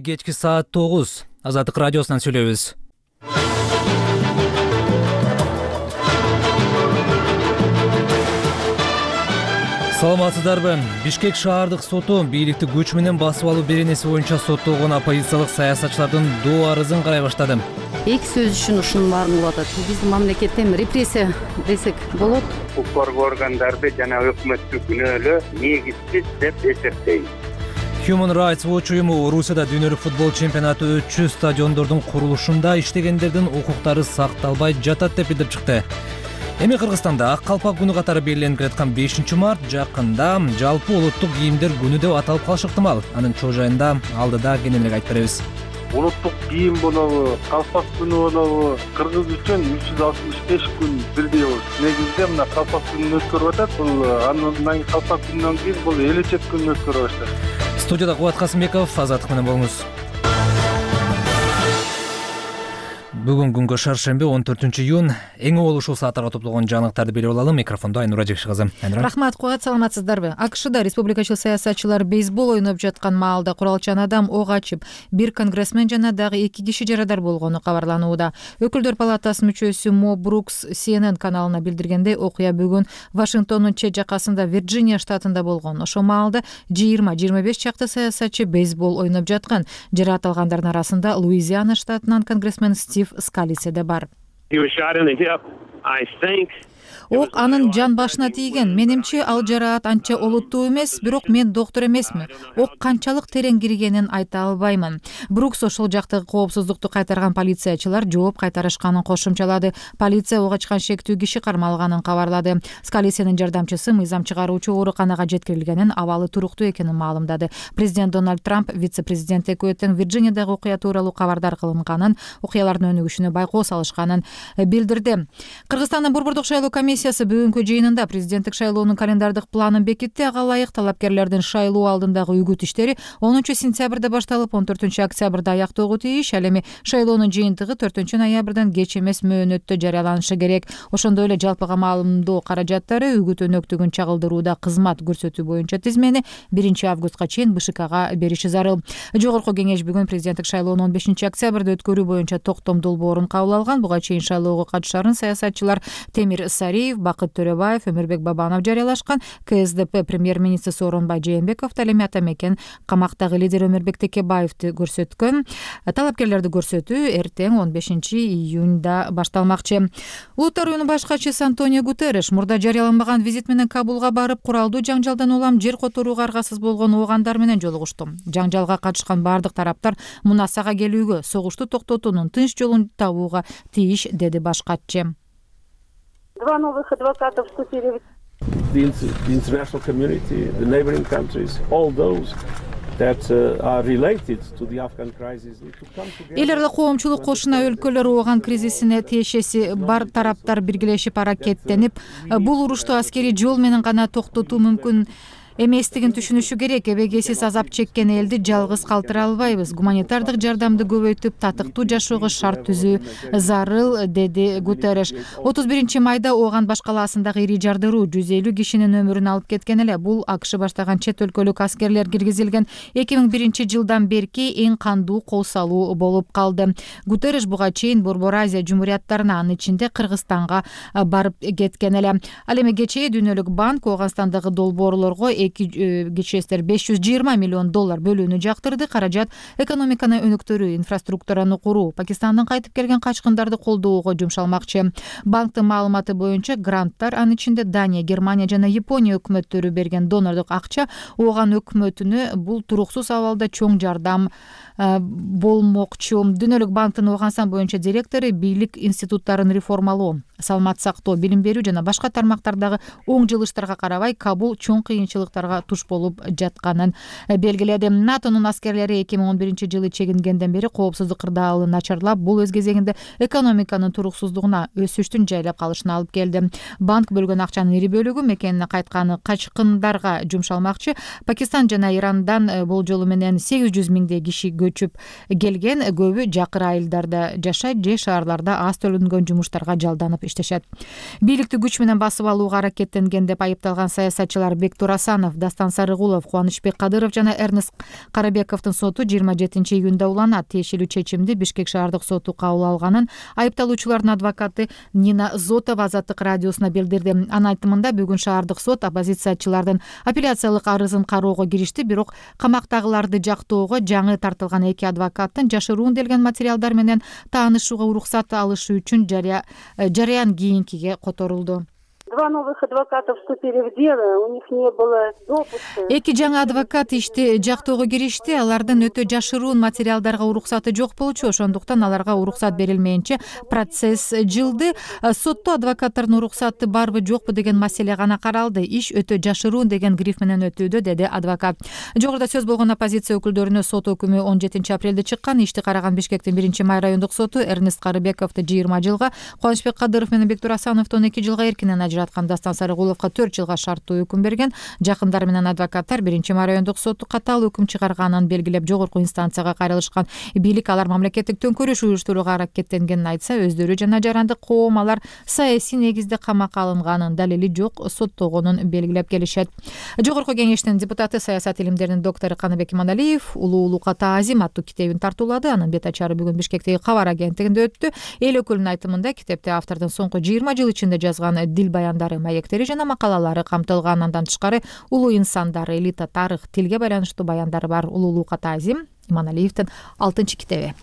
Кечки саат 9 Азаттык радиосунан сүйлөйбүз. Саламатсыздарбы? Бишкек шаардык соту бийликти күч менен басып алуу беренеси боюнча соттолгон оппозициялык саясатчылардын доо арызын карай баштады. Эки сөз үчүн ушунун баарын кылып атат. Биздин мамлекетте репрессия десек болот. Укук коргоо органдарды жана өкмөттү күнөөлөө негизсиз деп эсептейм. Human Rights Watch уюму Орусияда дүйнөлүк футбол чемпионаты өтчү стадиондордун курулушунда иштегендердин укуктары сакталбай жатат деп билдирип чыкты. Эми Кыргызстанда ак калпак күнү катары белгиленип келаткан 5-март жакында жалпы улуттук кийимдер күнү деп аталып калышы ыктымал. Анын чоо жайында алдыда кененирээк айтып беребиз. Улуттук кийим болобу, калпак күнү болобу, кыргыз үчүн 365 күн бирдей болот. Негизинде мына калпак күнүн өткөрүп атат. Бул андан калпак күнүнөн кийин бул элечек күнүн өткөрө баштады. Студияда Кубат Касымбеков, Азаттык менен болуңуз. Бүгүн күнгө шаршемби 14-июнь эң ушул сааттарга топтолгон жаңылыктарды билип алалы. Микрофондо Айнура Жекши кызы. Рахмат, Кубат, саламатсыздарбы? АКШда республикачыл саясатчылар бейсбол ойноп жаткан маалда куралчан адам ок ачып, бир конгрессмен жана дагы 2 киши жарадар болгону кабарланууда. Өкүлдөр палатасынын мүчөсү Мо Брукс CNN каналына билдиргендей, окуя бүгүн Вашингтондун чет жакасында Вирджиния штатында болгон. Ошол маалда 20-25 чакты саясатчы бейсбол ойноп жаткан. Жараат алгандардын арасында Луизиана штатынан конгрессмен Стив Скалисе де бар. Ок анын жан башына тийген. Менимче ал жараат анча олуттуу эмес, бирок мен доктор эмесмин. Ок канчалык терең киргенин айта албаймын. Брукс ошол жактагы коопсуздукту кайтарган полициячылар жооп кайтарышканын кошумчалады. Полиция ок ачкан шектүү киши кармалганын кабарлады. Скалисенин жардамчысы мыйзам чыгаруучу ооруканага жеткирилгенин, абалы туруктуу экенин маалымдады. Президент Дональд Трамп вице-президент экөө тең Вирджиниядагы окуя тууралуу кабардар кылынганын, окуялардын өнүгүшүнө байкоо салышканын билдирди. Кыргызстандын Борбордук шайлоо комиссиясы бүгүнкү жыйынында президенттик шайлоонун календардык планын бекитти. Ага ылайык талапкерлердин шайлоо алдындагы үгүт иштери 10-сентябрда башталып 14-октябрда аяктоого тийиш. Ал эми шайлоонун жыйынтыгы 4-ноябрдан кеч эмес мөөнөттө жарыяланышы керек. Ошондой эле жалпыга маалымдоо каражаттары үгүт өнөктүгүн чагылдырууда кызмат көрсөтүү боюнча тизмени 1-августка чейин БШКга бериши зарыл. Жогорку кеңеш бүгүн президенттик шайлоонун 15-октябрда өткөрүү боюнча токтом долбоорун кабыл алган. Буга чейин шайлоого катышарын саясатчылар Темир Сариев, Бакыт Төрөбаев, Өмүрбек Бабанов жарыялашкан. КСДП премьер-министри Сооронбай Жээнбеков ал эми ата мекен камактагы лидер Өмүрбек Текебаевди көрсөткөн. Талапкерлерди көрсөтүү эртең 15-июнда башталмакчы. Улуттар уюмунун баш катчысы Антонио Гутерриш мурда жарыяланбаган визит менен Кабулга барып, куралдуу жаңжалдан улам жер которууга аргасыз болгон оогандар менен жолугушту. Жаңжалга катышкан бардык тараптар мунасага келүүгө, согушту токтотуунун тынч жолун табууга тийиш, деди баш катчы. Два новых адвоката вступили в the international community, the neighboring countries, all those that are related to the Afghan crisis need to come together. Эл аралык коомчулук кошуна өлкөлөр ооган кризисине тиешеси бар тараптар биргелешип аракеттенип, бул урушту аскерий жол менен гана токтотуу мүмкүн эместигин түшүнүшү керек. Эбегесиз азап чеккен элди жалгыз калтыра албайбыз. Гуманитардык жардамды көбөйтүп, татыктуу жашоого шарт түзүү зарыл, деди Гутерриш. 31-майда Ооган баш калаасындагы ири жардыруу 150 кишинин өмүрүн алып кеткен эле. Бул АКШ баштаган чет өлкөлүк аскерлер киргизилген 2001-жылдан берки эң кандуу кол салуу болуп калды. Гутерриш буга чейин Борбор Азия жумурияттарына, анын ичинде Кыргызстанга барып кеткен эле. Ал эми кечээ Дүйнөлүк банк Ооганстандагы долбоорлорго кечестер $520 миллион бөлүүнү жактырды. Каражат экономиканы өнүктүрүү, инфраструктураны куруу, Пакистандын кайтып келген качкындарды колдоого жумшалмакчы. Банктын маалыматы боюнча гранттар, анын ичинде Дания, Германия жана Япония өкмөттөрү берген донордук акча Ооган өкмөтүнө бул туруксуз абалда чоң жардам болмокчу. Дүйнөлүк банктын Ооганстан боюнча директору бийлик институттарын реформалоо, саламат сактоо, билим берүү жана башка тармактардагы оң жылыштарга карабай Кабул чоң кыйынчылыктарга туш болуп жатканын белгиледи. НАТОнун аскерлери 2011-жылы чегингенден бери коопсуздук кырдаалы начарлап, бул өз кезегинде экономиканын туруксуздугуна, өсүштүн жайлап калышына алып келди. Банк бөлгөн акчанын ири бөлүгү мекенине кайтканы качкындарга жумшалмакчы. Пакистан жана Ирандан болжолу менен 800 миңдей киши көчүп келген, көбү жакыр айылдарда жашайт же шаарларда аз төлөнгөн жумуштарга жалданып иштешет. Бийликти күч менен басып алууга аракеттенген деп айыпталган саясатчылар Бектур Асанов, Дастан Сарыгулов, Кубанычбек Кадыров жана Эрнест Карабековдун соту 27-июнда уланат. Тиешелүү чечимди Бишкек шаардык соту кабыл алганын айыпталуучулардын адвокаты Нина Зотова Азаттык радиосуна билдирди. Анын айтымында бүгүн шаардык сот оппозициячылардын апелляциялык арызын кароого киришти, бирок камактагыларды жактоого жаңы тартылган эки адвокаттын жашыруунделген материалдар менен таанышууга уруксат алышы үчүн жарыян кийинкиге которулду. Два новых адвоката вступили в дело, у них не было допуска. Эки жаңы адвокат ишти жактоого киришти. Алардын өтө жашыруун материалдарга уруксаты жок болчу, ошондуктан аларга уруксат берилмейинче процесс жылды. Сотто адвокаттардын уруксаты барбы жокпу деген маселе гана каралды. Иш өтө жашыруун деген гриф менен өтүүдө, деди адвокат. Жогоруда сөз болгон оппозиция өкүлдөрүнө сот өкүмү 17-апрелде чыккан. Ишти караган Бишкектин 1-май райондук соту Эрнест Карыбековду 20 жылга, Кубанычбек Кадыров менен Бектур Асановду 12 жылга эркинен ажыраткан. Дастан Сарыгуловго 4 жылга шарттуу өкүм берген. Жакындары менен адвокаттар 1-май райондук соту катаал өкүм чыгарганын белгилеп жогорку инстанцияга кайрылышкан. Бийлик алар мамлекеттик төңкөрүш уюштурууга аракеттенгенин айтса, өздөрү жана жарандык коом алар саясий негизде камакка алынганын, далили жок соттогонун белгилеп келишет. Жогорку кеңештин депутаты, саясат илимдеринин доктору Каныбек Иманалиев улуулукка таазим аттуу китебин тартуулады. Анын бет ачары бүгүн Бишкектеги Кабар агенттигинде өттү. Эл өкүлүнүн айтымында китепте автордун соңку 20 жыл ичинде жазган дил баяндары, маектери жана макалалары камтылган. Андан тышкары улуу инсандар, элита, тарых, тилге байланыштуу баяндары бар. Улуулукка таазим Иманалиевдин 6-китеби.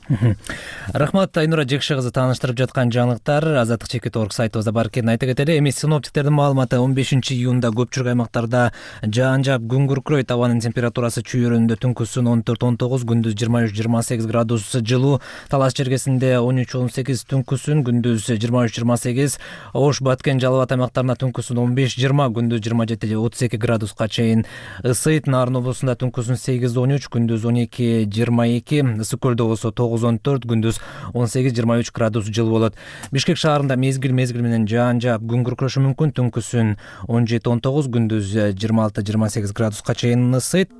Рахмат, Айнура Жекше кызы. Тааныштырып жаткан жаңылыктар Азаттык чекит.org сайтыбызда бар экенин айта кетели. Эми синоптиктердин маалыматы 15-июнда көпчүлүк аймактарда жаан жаап, күн күркүрөйт. Абанын температурасы чүйөрүндө түнкүсүн 14-19, күндүз 23-28 градус жылуу. Талас чергесинде 13-18, түнкүсүн күндүз 23-28. Ош, Баткен, Жалал Абад аймактарына түнкүсүн 15-20, күндүз 27-32 градуска чейин ысыйт. Нарын облусунда түнкүсүн 8-13, күндүз 12-22, Ысык көлдө болсо 9-14, күндүз 18-23 градус жылуу болот. Бишкек шаарында мезгил менен жаан жаап, күн күркүрөшү мүмкүн. Түнкүсүн 17-19, күндүз 26-28 градуска чейин ысыйт.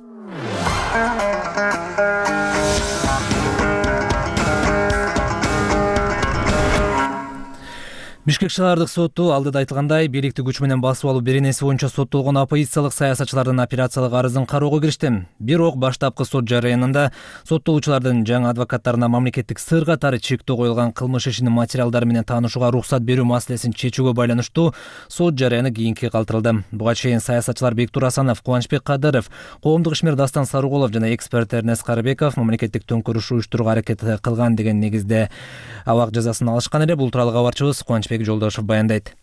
Бишкек шаардык соту алдыда айтылгандай бийликти күч менен басып алуу беренеси боюнча соттолгон оппозициялык саясатчылардын апелляциялык арызын кароого киришти. Бирок баштапкы сот жарыянында соттолуучулардын жаңы адвокаттарына мамлекеттик сыр катары чектөө коюлган кылмыш ишинин материалдары менен таанышууга уруксат берүү маселесин чечүүгө байланыштуу сот жарыяны кийинки калтырылды. Буга чейин саясатчылар Бектур Асанов, Кубанычбек Кадыров, коомдук ишмер Дастан Сарыгулов жана эксперт Эрнест Карыбеков мамлекеттик төңкөрүш уюштурууга аракет кылган деген негизде абак жазасын алышкан эле. Бул тууралуу кабарчыбыз Кубанычбек Жолдошов баяндайт.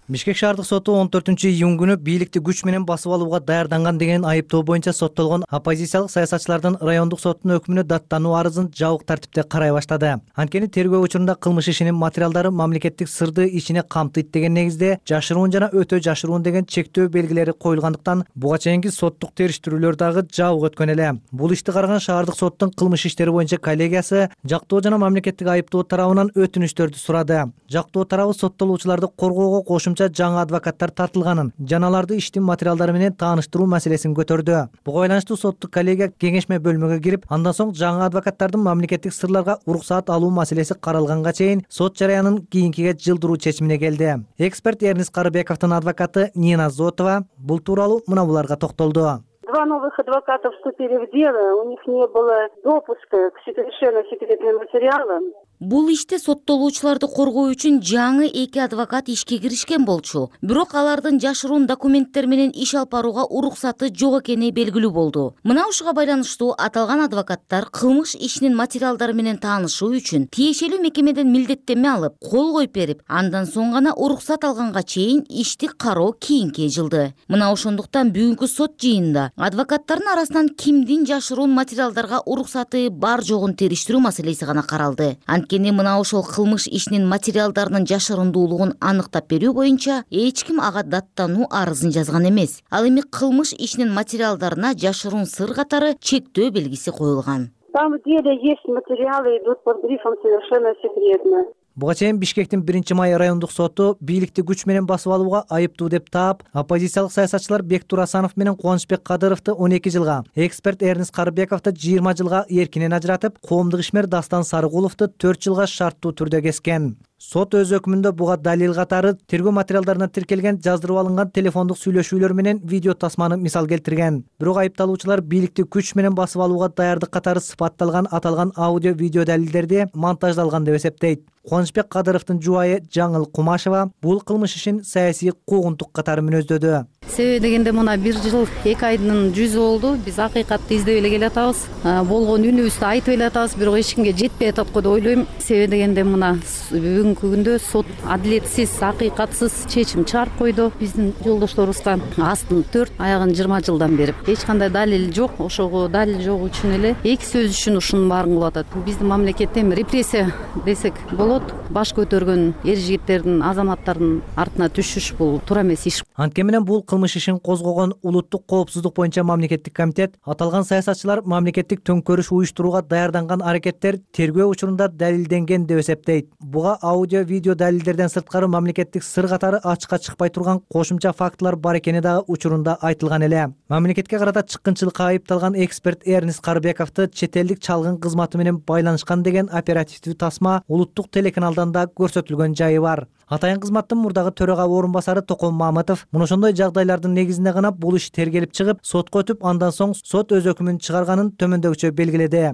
Бишкек шаардык соту 14-июнь күнү бийликти күч менен басып алууга даярданган деген айыптоо боюнча соттолгон оппозициялык саясатчылардын райондук соттун өкүмүнө даттануу арызын жабык тартипте карай баштады. Анткени тергөө учурунда кылмыш ишинин материалдары мамлекеттик сырды ичине камтыйт деген негизде жашыруун жана өтө жашыруун деген чектөө белгилери коюлгандыктан буга чейинки соттук териштирүүлөр дагы жабык өткөн эле. Бул ишти караган шаардык соттун кылмыш иштери боюнча коллегиясы жактоо жана мамлекеттик айыптоо тарабынан өтүнүштөрдү сурады. Жактоо тарабы соттолуучуларды коргоого кошумча жаңы адвокаттар тартылганын жана аларды иштин материалдары менен тааныштыруу маселесин көтөрдү. Буга байланыштуу соттук коллегия кеңешме бөлмөгө кирип, андан соң жаңы адвокаттардын мамлекеттик сырларга уруксаат алуу маселеси каралганга чейин сот жарыянын кийинкиге жылдыруу чечимине келди. Эксперт Эрнест Карыбековдун адвокаты Нина Зотова бул тууралуу мына буларга токтолду. Два новых адвоката вступили в дело, у них не было допуска к совершенно секретным материалам. Бул иште соттолуучуларды коргоо үчүн жаңы эки адвокат ишке киришкен болчу. Бирок алардын жашыруун документтер менен иш алып барууга уруксаты жок экени белгилүү болду. Мына ушуга байланыштуу аталган адвокаттар кылмыш ишинин материалдары менен таанышуу үчүн тиешелүү мекемеден милдеттенме алып, кол коюп берип, андан соң гана уруксат алганга чейин ишти кароо кийинке жылды. Мына ошондуктан бүгүнкү сот жыйынында адвокаттардын арасынан кимдин жашыруун материалдарга уруксаты бар жогун териштирүү маселеси гана каралды. Анткени мына ошол кылмыш ишинин материалдарынын жашырундуулугун аныктап берүү боюнча эч ким ага даттануу арызын жазган эмес. Ал эми кылмыш ишинин материалдарына жашыруун сыр катары чектөө белгиси коюлган. Там в деле есть материалы, идут под грифом совершенно секретно. Буга чейин Бишкектин 1-май райондук соту бийликти күч менен басып алууга айыптуу деп таап, оппозициялык саясатчылар Бектур Асанов менен Кубанычбек Кадыровду 12 жылга, эксперт Эрнест Карыбековду 20 жылга эркинен ажыратып, коомдук ишмер Дастан Сарыгуловду 4 жылга шарттуу түрдө кескен. Сот өз өкүмүндө буга далил катары тергөө материалдарына тиркелген жаздырып алынган телефондук сүйлөшүүлөр менен видео тасманы мисал келтирген. Бирок айыпталуучулар бийликти күч менен басып алууга даярдык катары сыпатталган аталган аудио видео далилдерди монтаждалган деп эсептейт. Кубанычбек Кадыровдун жубайы Жаңыл Кумашева бул кылмыш ишин саясий куугунтук катары мүнөздөдү. Себеби дегенде мына 1 жыл 2 айдын жүзү болду. Биз акыйкатты издеп эле келатабыз. Болгон үнүбүздү айтып эле атабыз, бирок эч кимге жетпей атат го деп ойлойм. Себеби дегенде мына бүгүнкү күндө сот адилетсиз, акыйкатсыз чечим чыгарып койду. Биздин жолдошторубузга астын 4, аягын 20 жылдан берип, эч кандай далил жок. Ошого далил жок үчүн эле 2 сөз үчүн ушунун баарын кылып атат. Биздин мамлекетте репрессия десек болот. Баш көтөргөн эр жигиттердин, азаматтардын артына түшүш бул туура эмес иш. Анткени менен бул кылмыш ишин козгогон улуттук коопсуздук боюнча мамлекеттик комитет аталган саясатчылар мамлекеттик төңкөрүш уюштурууга даярданган аракеттер тергөө учурунда далилденген деп эсептейт. Буга аудио видео далилдерден сырткары мамлекеттик сыр катары ачыкка чыкпай турган кошумча фактылар бар экени дагы учурунда айтылган эле. Мамлекетке карата чыккынчылыкка айыпталган эксперт Эрнис Карбековду чет элдик чалгын кызматы менен байланышкан деген оперативдүү тасма улуттук телеканалдан да көрсөтүлгөн жайы бар. Атайын кызматтын мурдагы төрага орун басары Токон Мамытов мына ошондой жагдайлардын негизинде гана бул иш тергелип чыгып, сотко өтүп, андан соң сот өз өкүмүн чыгарганын төмөндөгүчө белгиледи.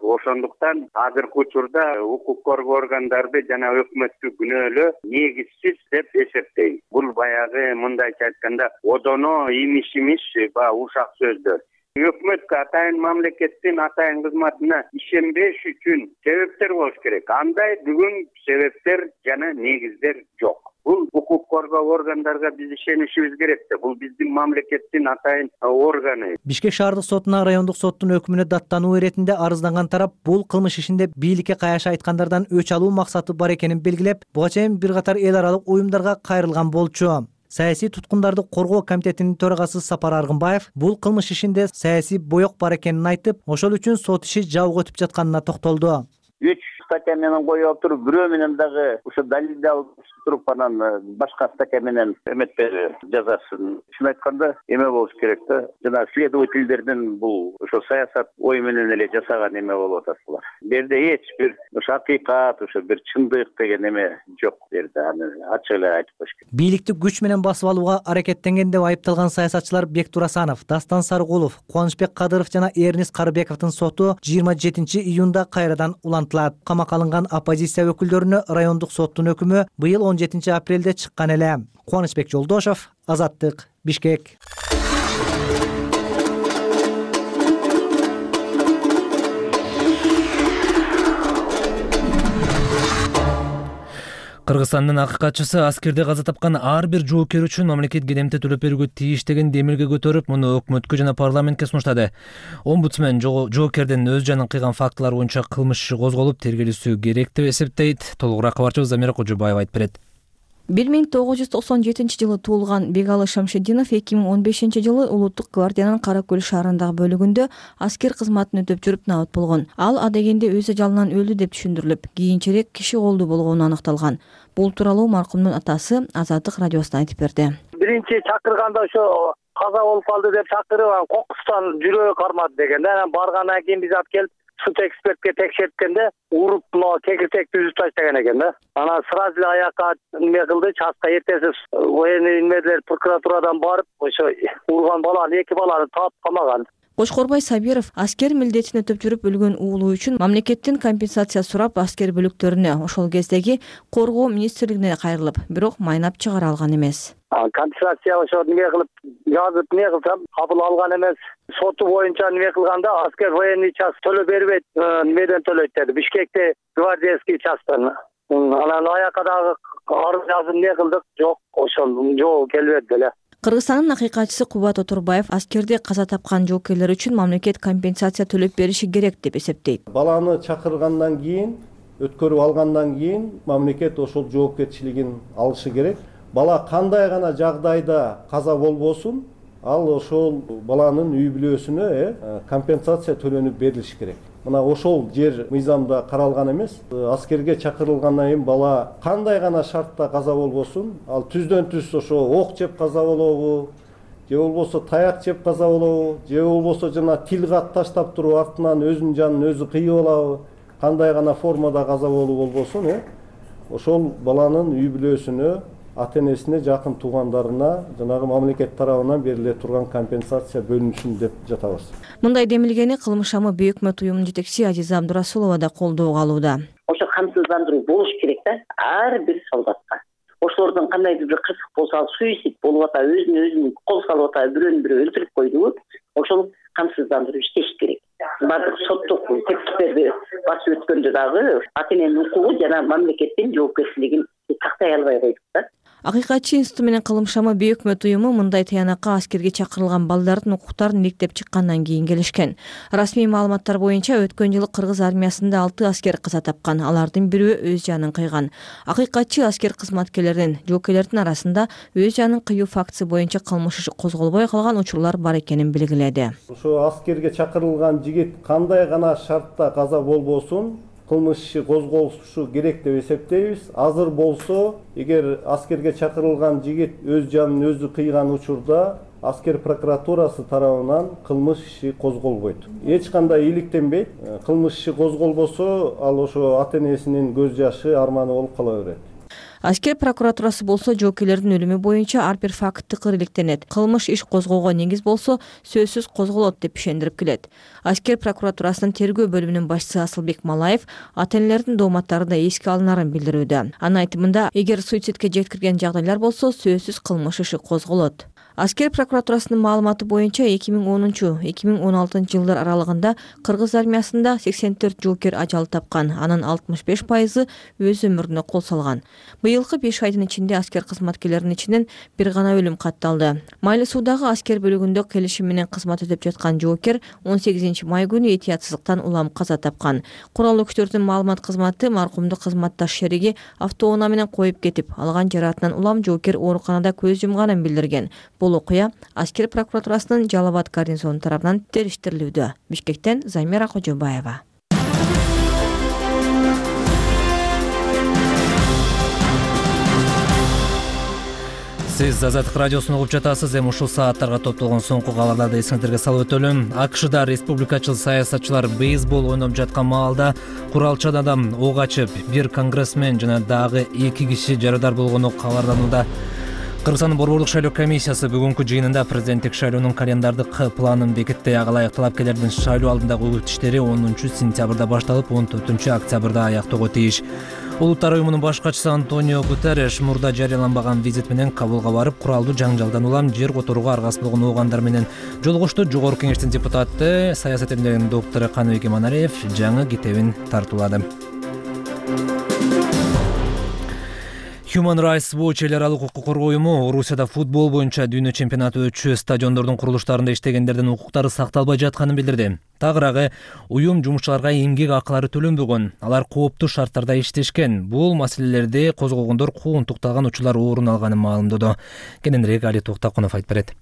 Ошондуктан азыркы учурда укук коргоо органдарды жана өкмөттү күнөөлөө негизсиз деп эсептейм. Бул баягы мындайча айтканда одоно имиш баягы ушак сөздөр. Өкмөткө атайын мамлекеттин атайын кызматына ишенбеш үчүн себептер болуш керек. Андай бүгүн себептер жана негиздер жок. Бул укук коргоо органдарга биз ишенишибиз керек да. Бул биздин мамлекеттин атайын органы. Бишкек шаардык сотуна райондук соттун өкүмүнө даттануу иретинде арызданган тарап бул кылмыш ишинде бийликке каяша айткандардан өч алуу максаты бар экенин белгилеп, буга чейин бир катар эл аралык уюмдарга кайрылган болчу. Саясий туткундарды коргоо комитетинин төрагасы Сапар Аргынбаев бул кылмыш ишинде саясий боек бар экенин айтып, ошол үчүн сот иши жабык өтүп жатканына токтолду. 3 статья менен коюп алып туруп, бирөө менен дагы ошо далилди алып туруп анан башка статья менен эметпеди жазасын. Чын айтканда эме болуш керек да. Жана следовательдердин бул ошо саясат ой менен эле жасаган эме болуп атат булар. Берде эч бир ошо акыйкат, ошо бир чындык деген эме жок берде. Аны ачык эле айтып коюш керек. Бийликти күч менен басып алууга аракеттенген деп айыпталган саясатчылар Бектур Асанов, Дастан Сарыгулов, Кубанычбек Кадыров жана Эрнис Карбековдун соту 27-июнда кайрадан улантылат. Камакка алынган оппозиция өкүлдөрүнө райондук соттун өкүмү быйыл 17-апрелде чыккан эле. Кубанычбек Жолдошов, Азаттык, Бишкек. Кыргызстандын акыйкатчысы аскерде каза тапкан ар бир жоокер үчүн мамлекет кедемте төлөп берүүгө тийиш деген демилге көтөрүп, муну өкмөткө жана парламентке сунуштады. Омбудсмен жоокердин өз жанын кыйган фактылар боюнча кылмыш иши козголуп, тергелүүсү керек деп эсептейт. Толугураак кабарчыбыз Замира Кожобаева айтып берет. 1997-жылы туулган Бегалы Шамшидинов 2015-жылы Улуттук гвардиянын Кара Көл шаарындагы бөлүгүндө аскер кызматын өтөп жүрүп набат болгон. Ал адегенде өз ажалынан өлдү деп түшүндүрүлүп, кийинчерээк киши колду болгону аныкталган. Бул тууралуу маркумдун атасы Азаттык радиосуна айтып берди. Биринчи чакырганда ошо каза болуп калды деп чакырып, кокустан жүрөгү кармады деген. Анан баргандан кийин биз алып келип сут экспертке текшерткенде уруп кекиртекти үзүп таштаган экен да. Анан сразу эле аякка эме кылды, часка эртеси военный инмедилер прокуратурадан барып, ошо урган баланы, 2 баланы таап камаган. Кошкорбай Сабиров аскер милдетин өтөп жүрүп өлгөн уулу үчүн мамлекеттин компенсация сурап аскер бөлүктөрүнө, ошол кездеги коргоо министрлигине кайрылып, бирок майнап чыгара алган эмес. Компенсация ошо неме кылып жазып не кылсам кабыл алган эмес. Соту боюнча неме кылганда аскер военный час төлөп бербейт, немеден төлөйт деди. Бишкекте гвардейский часттан. Анан аякка дагы арыз жазып не кылдык, жок, ошол жол келбеди эле. Кыргызстандын акыйкатчысы Кубат Отурбаев аскерде каза тапкан жоокерлер үчүн мамлекет компенсация төлөп бериши керек деп эсептейт. Баланы чакыргандан кийин, өткөрүп алгандан кийин мамлекет ошол жоопкерчилигин алышы керек. Бала кандай гана жагдайда каза болбосун, ал ошол баланын үй бүлөсүнө компенсация төлөнүп берилиши керек. Мына ошол жер мыйзамда каралган эмес. Аскерге чакырылгандан кийин бала кандай гана шартта каза болбосун, ал түздөн түз ошо ок жеп каза болобу, же болбосо таяк жеп каза болобу, же болбосо жана тил кат таштап туруп артынан өзүнүн жанын өзү кыйып алабы, кандай гана формада каза болуу болбосун, ошол баланын үй бүлөсүнө, ата энесине, жакын туугандарына жанагы мамлекет тарабынан бериле турган компенсация бөлүнүшүн деп жатабыз. Мындай демилгени Кылмыш шамы Бейөк өкмөт уюмунун жетекчиси Азиза Абдурасулова да колдоого алууда. Ошо камсыздандыруу болуш керек да ар бир солдатка. Ошолордон кандайдыр бир кырсык болсо, ал суицид болуп ата, өзүн кол салып ата, бирөөнү бирөө өлтүрүп койдубу, ошол камсыздандыруу иштеш керек. Бардык соттук тексттерди басып өткөндө дагы ата эненин укугу жана мамлекеттин жоопкерчилигин тактай албай койдук да. Акыйкатчы институту менен Кылмыш шамы Бейөк өкмөт уюму мындай таянакка аскерге чакырылган балдардын укуктарын иликтеп чыккандан кийин келишкен. Расмий маалыматтар боюнча өткөн жылы кыргыз армиясында 6 аскер каза тапкан, алардын бирөө өз жанын кыйган. Акыйкатчы аскер кызматкерлеринин, жоокерлердин арасында өз жанын кыюу фактысы боюнча кылмыш иши козголбой калган учурлар бар экенин белгиледи. Ошо аскерге чакырылган жигит кандай гана шартта каза болбосун, кылмыш иши козголушу керек деп эсептейбиз. Азыр болсо, эгер аскерге чакырылган жигит өз жанын өзү кыйган учурда аскер прокуратурасы тарабынан кылмыш иши козголбойт. Эч кандай иликтенбейт. Кылмыш иши козголбосо, ал ошо ата энесинин көз жашы, арманы болуп кала берет. Аскер прокуратурасы болсо жоокерлердин өлүмү боюнча ар бир факт тыкыр иликтенет. Кылмыш иш козгоого негиз болсо, сөзсүз козголот деп ишендирип келет. Аскер прокуратурасынын тергөө бөлүмүнүн башчысы Асылбек Малаев ата энелердин дооматтары да эске алынарын билдирүүдө. Анын айтымында, эгер суицидке жеткирген жагдайлар болсо, сөзсүз кылмыш иши козголот. Аскер прокуратурасынын маалыматы боюнча 2010-2016 жылдар аралыгында кыргыз армиясында 84 жоокер ажал тапкан, анын 65% өз өмүрүнө кол салган. Быйылкы 5 айдын ичинде аскер кызматкерлеринин ичинен бир гана өлүм катталды. Майлы суудагы аскер бөлүгүндө келишим менен кызмат өтөп жаткан жоокер 18 май күнү этиятсыздыктан улам каза тапкан. Куралдуу күчтөрдүн маалымат кызматы маркумду кызматташ шериги автоунаа менен коюп кетип, алган жараатынан улам жоокер ооруканада көз жумганын билдирген. Бул окуя аскер прокуратурасынын Жалал Абад гарнизону тарабынан териштирилүүдө. Бишкектен Замира Кожобаева. Сиз Азаттык радиосун угуп жатасыз. Эми ушул сааттарга топтолгон соңку кабарларды эсиңиздерге салып өтөлүм. АКШда республикачыл саясатчылар бейсбол ойноп жаткан маалда куралчан адам ок ачып, бир конгрессмен жана дагы 2 киши жарадар болгону кабарланууда. Кыргызстандын борбордук шайлоо комиссиясы бүгүнкү жыйынында президенттик шайлоонун календардык планын бекитти. Ага ылайык талапкерлердин шайлоо алдындагы үгүт иштери 10-сентябрда башталып, 14-октябрда аяктоого тийиш. Улуттар уюмунун баш катчысы Антонио Гутерреш мурда жарыяланбаган визит менен Кабулга барып, куралдуу жаңжалдан улам жер которууга аргасыз болгон оогандар менен жолугушту. Жогорку кеңештин депутаты, саясат илимдеринин доктору Каныбек Иманалиев жаңы китебин тартуулады. Human Rights Watch эл аралык укук коргоо уюму Орусияда футбол боюнча дүйнө чемпионаты өтчү стадиондордун курулуштарында иштегендердин укуктары сакталбай жатканын билдирди. Тагыраагы уюм жумушчуларга эмгек акылары төлөнбөгөн, алар кооптуу шарттарда иштешкен. Бул маселелерди козгогондор куугунтукталган учурлар орун алганын маалымдоду. Кененирээк Али Токтакунов айтып берет.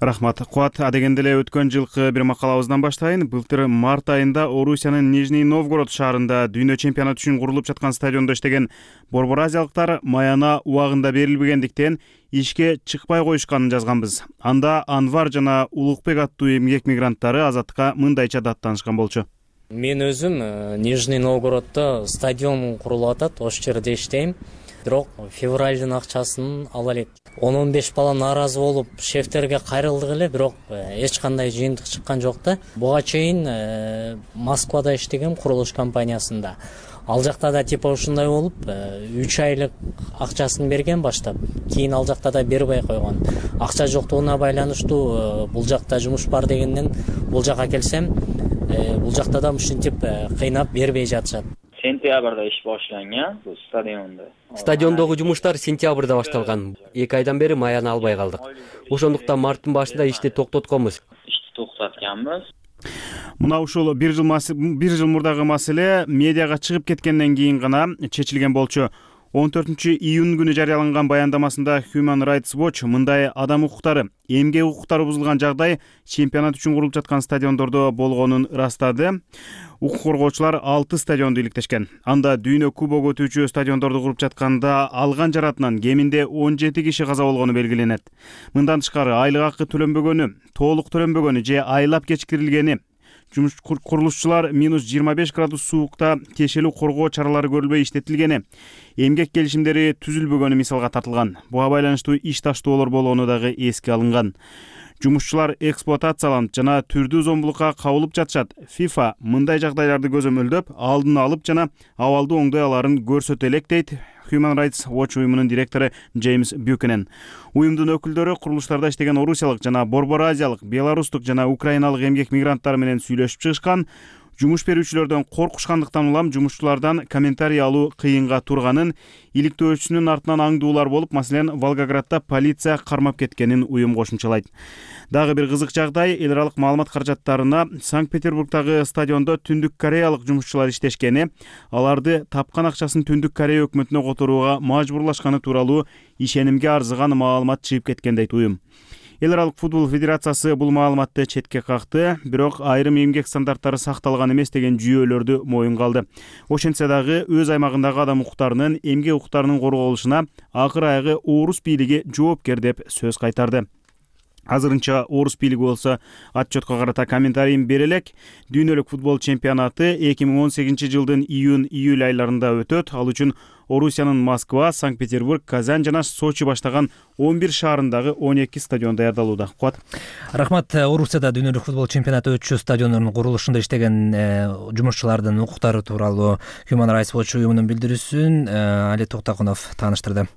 Рахмат. Куат адегенде эле өткөн жылкы бир макалабыздан баштайын. Былтыр март айында Орусиянын Нижний Новгород шаарында дүйнө чемпионаты үчүн курулуп жаткан стадиондо иштеген борбор азиялыктар маяна убагында берилбегендиктен ишке чыкпай коюшканын жазганбыз. Анда Анвар жана Улукбек аттуу эмгек мигранттары Азаттыкка мындайча даттанышкан болчу. Мен өзүм Нижний Новгороддо стадион курулуп атат, ошол жерде иштейм. Бирок февралдын акчасын ала элек. 10-15 бала нааразы болуп шефтерге кайрылдык эле, бирок эч кандай жыйынтык чыккан жок да. Буга чейин Москвада иштегем курулуш компаниясында. Ал жакта да типа ушундай болуп, 3 айлык акчасын берген баштап, кийин ал жакта да бербей койгон. Акча жоктугуна байланыштуу бул жакта жумуш бар дегенден бул жака келсем, бул жакта да ушинтип кыйнап бербей жатышат. Сентябрда иш башланган бул стадиондо. Стадиондогу жумуштар сентябрда башталган. 2 айдан бери маяны албай калдык. Ошондуктан марттын башында ишти токтотконбуз. Ишти токтотканбыз. Мына ушул бир жыл мурдагы маселе медиага чыгып кеткенден кийин гана чечилген болчу. 14-июнь күнү жарыяланган баяндамасында Human Rights Watch мындай адам укуктары, эмгек укуктары бузулган жагдай чемпионат үчүн курулуп жаткан стадиондордо болгонун ырастады. Укук коргоочулар 6 стадионду иликтешкен. Анда дүйнө кубогу өтүүчү стадиондорду куруп жатканда алган жаратынан кеминде 17 киши каза болгону белгиленет. Мындан тышкары айлык акы төлөнбөгөнү, толук төлөнбөгөнү же айлап кечикирилгени, курулушчулар -25 градус суукта тиешелүү коргоо чаралары көрүлбөй иштетилгени, эмгек келишимдери түзүлбөгөнү мисалга тартылган. Буга байланыштуу иш таштоолор болгону дагы эске алынган. Жумушчулар эксплуатацияланып жана түрдүү зомбулукка кабылып жатышат. FIFA мындай жагдайларды көзөмөлдөп, алдын алып жана абалды оңдой аларын көрсөтө элек дейт Human Rights Watch уюмунун директору Джеймс Бюкенен. Уюмдун өкүлдөрү курулуштарда иштеген орусиялык жана борбор азиялык, белорустук жана украиналык эмгек мигранттары менен сүйлөшүп чыгышкан. Жумуш берүүчүлөрдөн коркушкандыктан улам жумушчулардан комментарий алуу кыйынга турганын, иликтөөчүнүн артынан аңдуулар болуп, маселен, Волгоградда полиция кармап кеткенин уюм кошумчалайт. Дагы бир кызык жагдай, эл аралык маалымат каражаттарына Санкт-Петербургдагы стадиондо Түндүк Кореялык жумушчулар иштешкени, аларды тапкан акчасын Түндүк Корея өкмөтүнө которууга мажбурлашканы тууралуу ишенимге арзыган маалымат чыгып кеткен дейт уюм. Эл аралык футбол федерациясы бул маалыматты четке какты, бирок айрым эмгек стандарттары сакталган эмес деген жүйөлөрдү моюнга алды. Ошентсе дагы өз аймагындагы адам укуктарынын, эмгек укуктарынын корголушуна акыр аягы орус бийлиги жоопкер деп сөз кайтарды. Азырынча орус бийлиги болсо отчетко карата комментарийин бере элек. Дүйнөлүк футбол чемпионаты 2018 жылдын июнь-июль айларында өтөт. Ал үчүн Орусиянын Москва, Санкт-Петербург, Казань жана Сочи баштаган 11 шаарындагы 12 стадион даярдалууда. Куат. Рахмат. Орусияда дүйнөлүк футбол чемпионаты өтчү стадиондордун курулушунда иштеген жумушчулардын укуктары тууралуу Human Rights Watch уюмунун билдирүүсүн Али Токтакунов тааныштырды.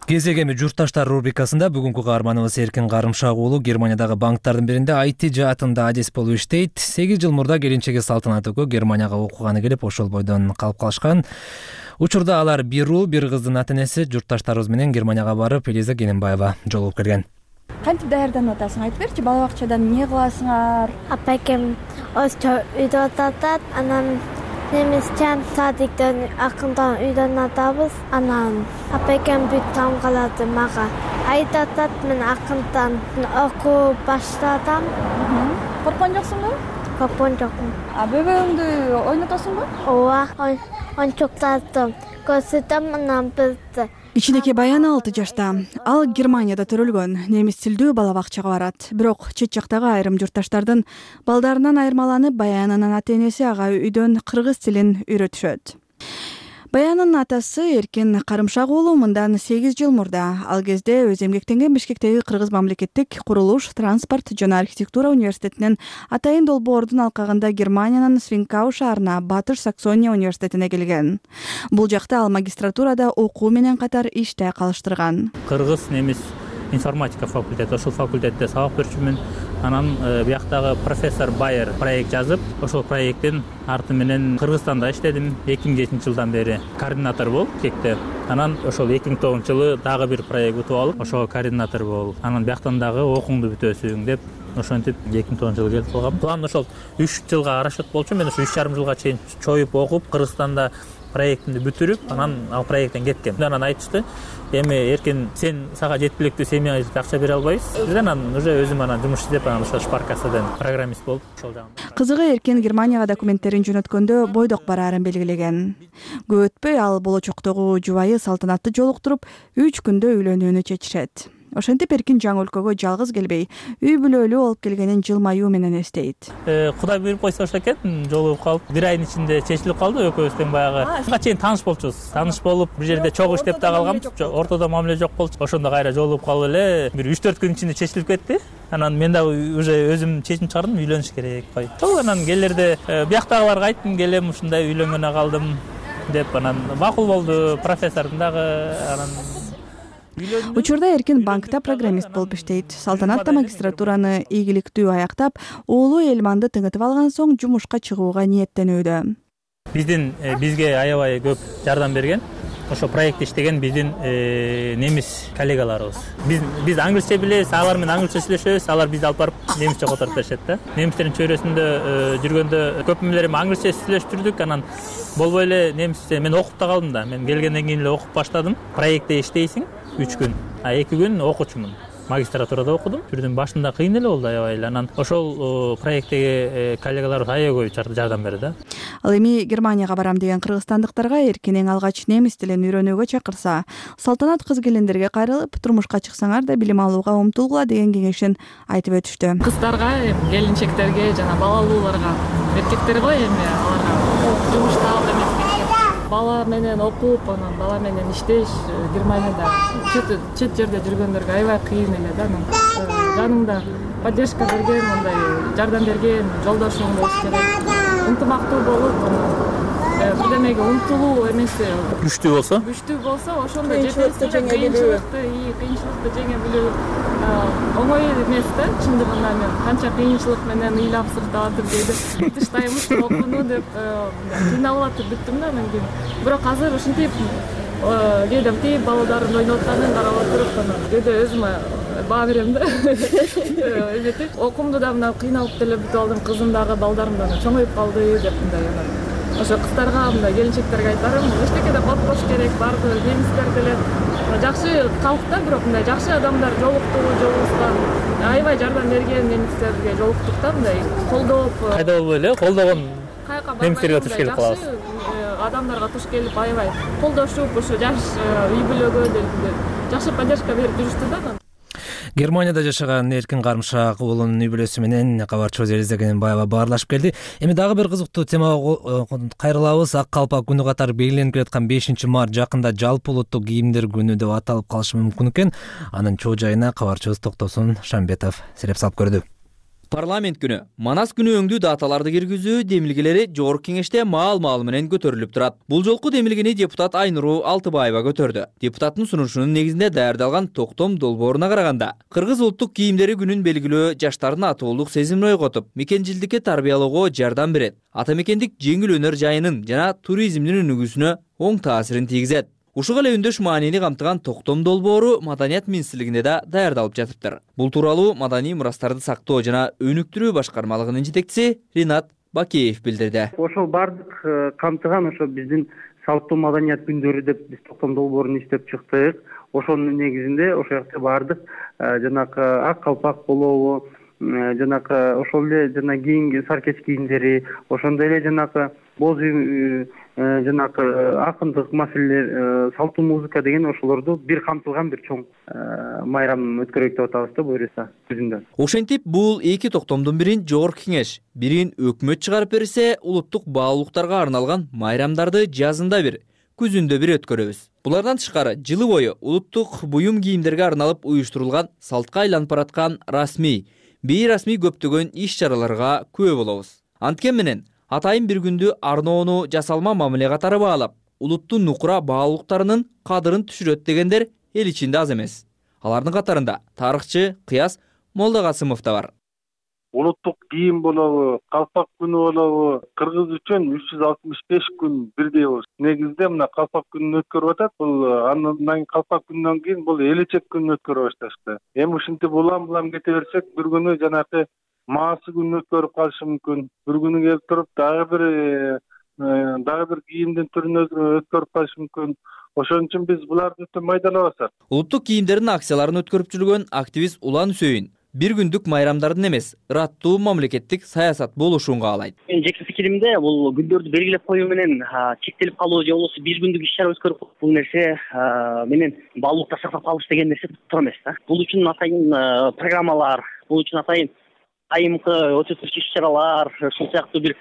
Кезегеми журтташтар рубрикасында бүгүнкү каарманыбыз Эркин Карымшак уулу Германиядагы банктардын биринде IT жаатында адис болуп иштейт. 8 жыл мурда келинчеги Салтанат экөө Германияга окуганы келип, ошол бойдон калып калышкан. Учурда алар бир уу, бир кыздын ата-энеси журтташтарыбыз менен Германияга барып, Элиза Кененбаева жолугуп келген. Кантип даярданып атасың? Айтып берчи, бала бакчадан эмне кыласыңар? Апакем өстө үйдө атат, анан немистен садиктен акындан үйдөн атабыз. Анан апакем бүт таң калады мага. Айтатат, мен акындан окуу баштадым. Корккон жоксуңбу? Корккон жокмун. Бөбөгүңдү ойнотосуңбу? Ооба, ойнчуктардым. Көрсөтөм, анан бизди. Кичинекей Баян 6 жашта. Ал Германияда төрөлгөн. Немис тилдүү бала бакчага барат. Бирок чет жактагы айрым журтташтардын балдарынан айырмаланып, Баянынын ата-энеси ага үйдөн кыргыз тилин үйрөтүшөт. Баянынын атасы Эркин Карымшак уулу мындан 8 жыл мурда, ал кезде өз эмгектенген Бишкектеги Кыргыз мамлекеттик курулуш, транспорт жана архитектура университетинин атайын долбоордун алкагында Германиянын Свинкау шаарына, Батыш Саксония университетине келген. Бул жакта ал магистратурада окуу менен катар иште калыштырган. Кыргыз немис информатика факультети, ошол факультетте сабак берчүмүн. Анан бияктагы профессор Байер проект жазып, ошол проекттин арты менен Кыргызстанда иштедим. 2007 жылдан бери координатор болуп Кекте. Анан ошол 2009 жылы дагы бир проект утуп алып, ошого координатор болуп, анан бияктан дагы окууңду бүтөсүң деп ошентип 2009 жылы келип калгам. План ошол 3 жылга расчет болчу. Мен ошо 3,5 жылга чейин чоюп окуп, Кыргызстанда проектимди бүтүрүп, анан ал проекттен кеткем. Анан айтышты, эми Эркин, сен сага жеткиликтүү семья акча бере албайбыз. Анан уже өзүм анан жумуш издеп, анан ошо Шпаркассадан программист болуп ошол жагында. Кызыгы Эркин Германияга документтерин жөнөткөндө бойдок бараарын белгилеген. Көп өтпөй ал болочоктогу жубайы Салтанатты жолуктуруп, 3 күндө үйлөнүүнү чечишет. Ошентип Эркин жаңы өлкөгө жалгыз келбей, үй бүлөлүү болуп келгенин жылмаюу менен эстейт. Кудай буйруп койсо ошо экен, жолугуп калып, 1 айдын ичинде чечилип калды. Экөөбүз тең баягы ага чейин тааныш болчубуз. Тааныш болуп, бир жерде чогуу иштеп да калгам. Ортодо мамиле жок болчу. Ошондо кайра жолугуп калып эле, бир 3-4 күн ичинде чечилип кетти. Анан мен дагы уже өзүм чечим чыгардым, үйлөнүш керек кой. Ошол анан келерде бияктагыларга айттым, келем ушундай үйлөнгөнө калдым деп, анан макул болду. Профессордун дагы анан Учурда Эркин банкта программист болуп иштейт. Салтанат да магистратураны ийгиликтүү аяктап, уулу Элманды тыңытып алган соң жумушка чыгууга ниеттенүүдө. Бизге аябай көп жардам берген. Ошо проектте иштеген биздин немис коллегаларыбыз. Биз англисче билебиз, алар менен англисче сүйлөшөбүз, алар бизди алып барып немисче которуп беришет да. Немистердин чөйрөсүндө жүргөндө көп мемелерим англисче сүйлөшүп жүрдүк, анан болбой эле немисче мен окуп да калдым да. Мен келгенден кийин эле окуп баштадым. Проектте иштейсиң 3 күн, 2 күн окуучумун. магистратурада окудум. Жүрдүм башында кыйын эле болду аябай эле. Анан ошол проекттеги коллегалар аябай көп жардам берди. Ал эми Германияга барам деген кыргызстандыктарга эркин эң алгач немис тилин үйрөнүүгө чакырса, Салтанат кыз келиндерге кайрылып, турмушка чыксаңар да билим алууга умтулгула деген кеңешин айтып өтүштү. Кыздарга, келинчектерге жана балалууларга, эркектер го эми аларга жумушта бала менен окуп, анан бала менен иштеш Германияда чет жерде жүргөндөргө аябай кыйын эле да. Жаныңда поддержка берген, мындай жардам берген жолдошуң болуш керек. Ынтымактуу болуп, бирдемеге умтулуу эмеси күчтүү болсо, ошондо жетекчилик кыйынчылыкты жеңе билүү оңой эмес да. Чындыгында мен канча кыйынчылык менен ыйлап сыртап атып тыштаймыз окууну деп кыйналып атып бүттүм да анан кийин. Бирок азыр ушинтип кээде тип балдардын ойноп атканын карап отуруп, анан кээде өзүмө баа берем да. Эметип окуумду да мына кыйналып деле бүтүп алдым, кызым дагы балдарым да чоңоюп калды деп мындай анан. Ошо кыздарга, мындай келинчектерге айтарым, эчтеке да батпаш керек, баардыгы немистер деле жакшы калкта, бирок мындай жакшы адамдар жолукту жолубузга аябай жардам берген немистерге жолуктук да, мындай колдоп. Кайда болбой эле колдогон немистерге туш келип калабыз. Адамдарга туш келип аябай колдошуп, ошо жаш үй бүлөгө жакшы поддержка берип жүрүштү да. Германияда жашаган Эркин Карымшак уулунун үй бүлөсү менен кабарчыбыз Элиза Кененбаева баарлашып келди. Эми дагы бир кызыктуу темага кайрылабыз. Ак калпак күнү катары белгиленип келаткан 5-март жакында жалпы улуттук кийимдер күнү деп аталып калышы мүмкүн экен. Анын чоо жайына кабарчыбыз Токтосун Шамбетов сереп салып көрдү. Парламент күнү, Манас күнү өңдүү даталарды киргизүү демилгелери жогорку кеңеште маал менен көтөрүлүп турат. Бул жолку демилгени депутат Айнуру Алтыбаева көтөрдү. Депутаттын сунушунун негизинде даярдалган токтом долбооруна караганда, кыргыз улуттук кийимдери күнүн белгилөө жаштардын атуулук сезимин ойготуп, мекенчилдикке тарбиялоого жардам берет. Ата мекендик жеңил өнөр жайынын жана туризмдин өнүгүүсүнө оң таасирин тийгизет. Ушуга эле үндөш маанини камтыган токтом долбоору Маданият министрлигинде да даярдалып жатыптыр. Бул тууралуу Маданий мурастарды сактоо жана өнүктүрүү башкармалыгынын жетекчиси Ринат Бакеев билдирди. Ошол бардык камтыган ошо биздин салттуу маданият күндөрү деп биз токтом долбоорун иштеп чыктык. Ошонун негизинде ошол жакта бардык жанагы ак калпак болобу, жанагы ошол эле жана кийинки саркеч кийимдери, ошондой эле жанагы боз үй, жанагы акындык маселелер, салттуу музыка деген ошолорду бир камтылган бир чоң майрам өткөрөйүк деп атабыз да буюрса күзүндө. Ошентип бул эки токтомдун бирин жогорку кеңеш, бирин өкмөт чыгарып берсе, улуттук баалуулуктарга арналган майрамдарды жазында бир, күзүндө бир өткөрөбүз. Булардан тышкары жылы бою улуттук буюм кийимдерге арналып уюштурулган салтка айланып бараткан расмий, бейрасмий көптөгөн иш-чараларга күбө болобуз. Анткени менен атайын бир күндү арноону жасалма мамиле катары баалап, улуттун нукура баалуулуктарынын кадырын түшүрөт дегендер эл ичинде аз эмес. Алардын катарында тарыхчы Кыяс Молдокасымов да бар. Улуттук кийим болобу, калпак күнү болобу, кыргыз үчүн 365 күн бирдей болуш. Негизде мына калпак күнүн өткөрүп атат. Бул андан калпак күндөн кийин бул элечек күнүн өткөрө башташты. Эми ушинтип улам кете берсек, бир күнү жанагы маасы күнүн өткөрүп калышы мүмкүн. Бир күнү келип туруп дагы бир кийимдин түрүн өткөрүп калышы мүмкүн. Ошон үчүн биз буларды өтө майдалабасак. Улуттук кийимдердин акцияларын өткөрүп жүргөн активист Улан Үсөйүн бир күндүк майрамдардын эмес, ыраттуу мамлекеттик саясат болушун каалайт. Менин жеке пикиримде бул күндөрдү белгилеп коюу менен чектелип калуу же болбосо бир күндүк иш-чара өткөрүп бул нерсе менен баалуулукта сактап калыш деген нерсе туура эмес да. Бул үчүн атайын программалар, бул үчүн атайын айымкы өтө иш-чаралар, ушул сыяктуу бир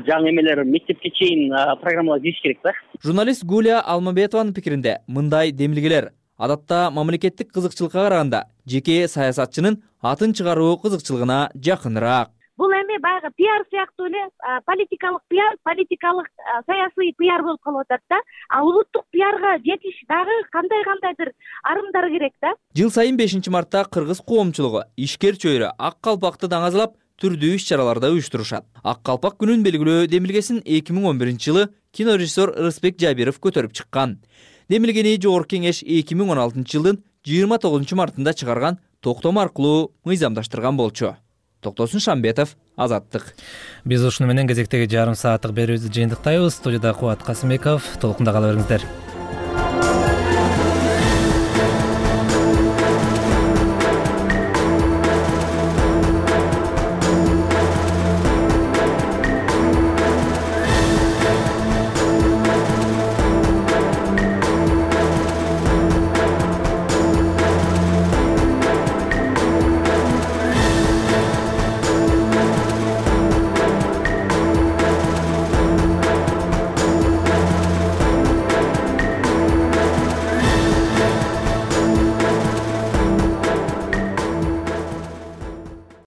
жаңы эмелер мектепке чейин программалар кириш керек да. Журналист Гулия Алмабетованын пикиринде мындай демилгелер адатта мамлекеттик кызыкчылыкка караганда жеке саясатчынын атын чыгаруу кызыкчылыгына жакыныраак. Бул эми баягы пиар сыяктуу эле политикалык пиар, политикалык саясий пиар болуп калып атат да. А улуттук пиарга жетиш дагы кандайдыр арымдар керек да. Жыл сайын 5-мартта кыргыз коомчулугу ишкер чөйрө ак калпакты даңазалап түрдүү иш-чараларда уюштурушат. Ак калпак күнүн белгилөө демилгесин 2011-жылы кинорежиссер Рыспек Жабиров көтөрүп чыккан. Демилгени жогорку кеңеш 2016-жылдын 29-мартында чыгарган токтом аркылуу мыйзамдаштырган болчу. Токтосун Шамбетов, Азаттык. Биз ушуну менен кезектеги жарым сааттык берүүбүздү жыйынтыктайбыз. Студияда Кубат Касымбеков. Толкунда кала бериңиздер.